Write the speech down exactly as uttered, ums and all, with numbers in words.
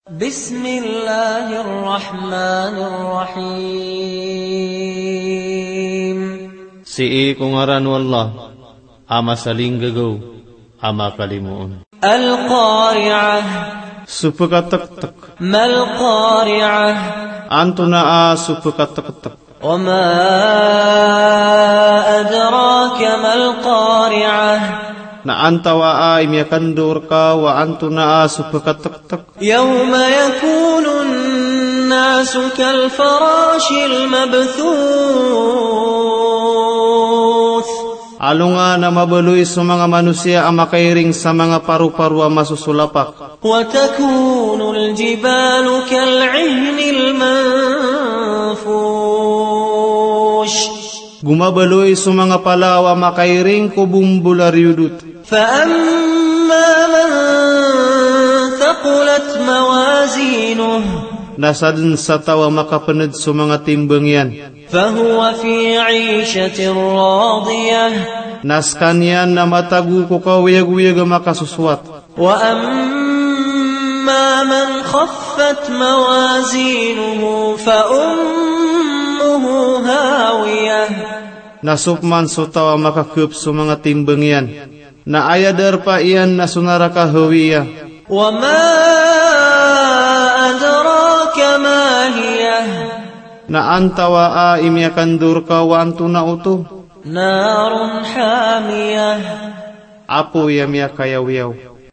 بسم الله الرحمن الرحيم. Sii ko ngaran o Allah a masalinggagaw a makalimoon. القارعة. So pkatktak. ما القارعة؟ Antonaa so pkatktak? وما أدراك ما القارعة؟ Na antawaa i miyakandao rka o antonaa so pkatktak? يوم يكون الناس كالفراش المبثوث. Alongan a mabaloy so manga manosiya a makairing sa manga paroparo a masosolapak. وتكون الجبال كالعهن المنفوش. Go mabaloy so manga palaw a makairing ko bombol a riyodot. فأما من ثقلت موازينه. Na sadn sa taw a makapnd so manga timbang iyan. فهو في عيشة راضية. Na skaniyan na matago ko kaoyagoyag a makasosowat. وأما من خفت موازينه فأمه هاوية. Na so pman so taw a makakp so manga timbang iyan, na aya darpa iyan na so naraka Hawiya. وما أدراك ما هيه. Na antawaa i miyakandao rka o antonaa oto? نار حامية. Apoy a miyakayawiyaw.